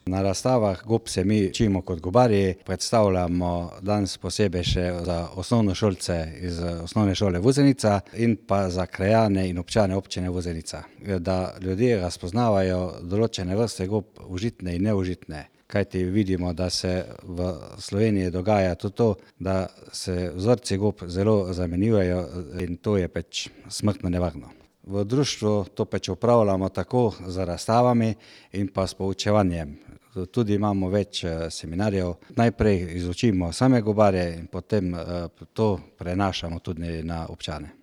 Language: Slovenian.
Na razstavah gob se mi učimo kot gobarji, predstavljamo danes posebej še za osnovnošolce iz osnovne šole Vuzenica in pa za krajane in občane občine Vuzenica, da ljudje razpoznavajo določene vrste gob, užitne in neužitne. Kajti vidimo, da se v Sloveniji dogaja tudi to, da se vzorci gob zelo zamenjujejo in to je pač smrtno nevarno. V društvu to pač upravljamo tako z razstavami in pa s poučevanjem. Tudi imamo več seminarjev. Najprej izučimo same gobarje in potem to prenašamo tudi na občane.